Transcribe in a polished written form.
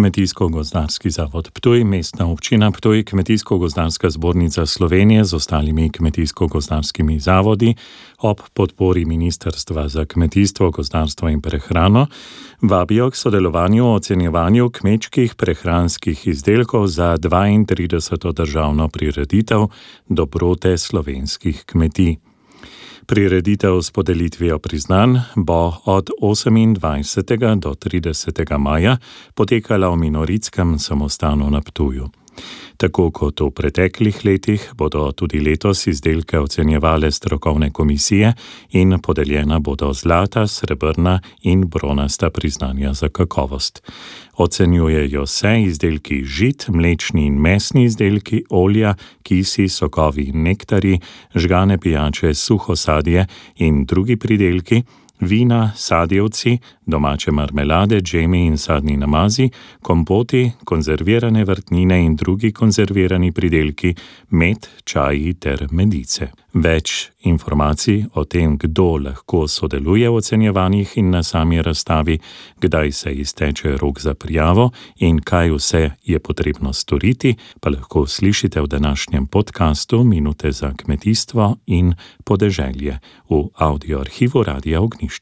Kmetijsko-gozdarski zavod Ptuj, Mestna občina Ptuj, Kmetijsko-gozdarska zbornica Slovenije z ostalimi kmetijsko-gozdarskimi zavodi ob podpori Ministrstva za kmetijstvo, gozdarstvo in prehrano vabijo k sodelovanju v ocenjevanju kmečkih prehranskih izdelkov za 32. državno prireditev Dobrote slovenskih kmetij. Prireditev s podelitvijo priznanj bo od 28. do 30. maja potekala v Minoritskem samostanu na Ptuju. Tako kot v preteklih letih bodo tudi letos izdelke ocenjevale strokovne komisije in podeljena bodo zlata, srebrna in bronasta priznanja za kakovost. Ocenjujejo se izdelki žit, mlečni in mesni izdelki, olja, kisi, sokovi in nektarji, žgane pijače, suho sadje in drugi pridelki, vina, sadjevci, domače marmelade, džemi in sadni namazi, kompoti, konzervirane vrtnine in drugi konzervirani pridelki, med, čaji ter medice. Več informacij o tem, kdo lahko sodeluje v ocenjevanjih in na sami razstavi, kdaj se izteče rok za prijavo in kaj vse je potrebno storiti, pa lahko slišite v današnjem podcastu Minute za kmetijstvo in podeželje v audioarhivu Radia Ognjišče.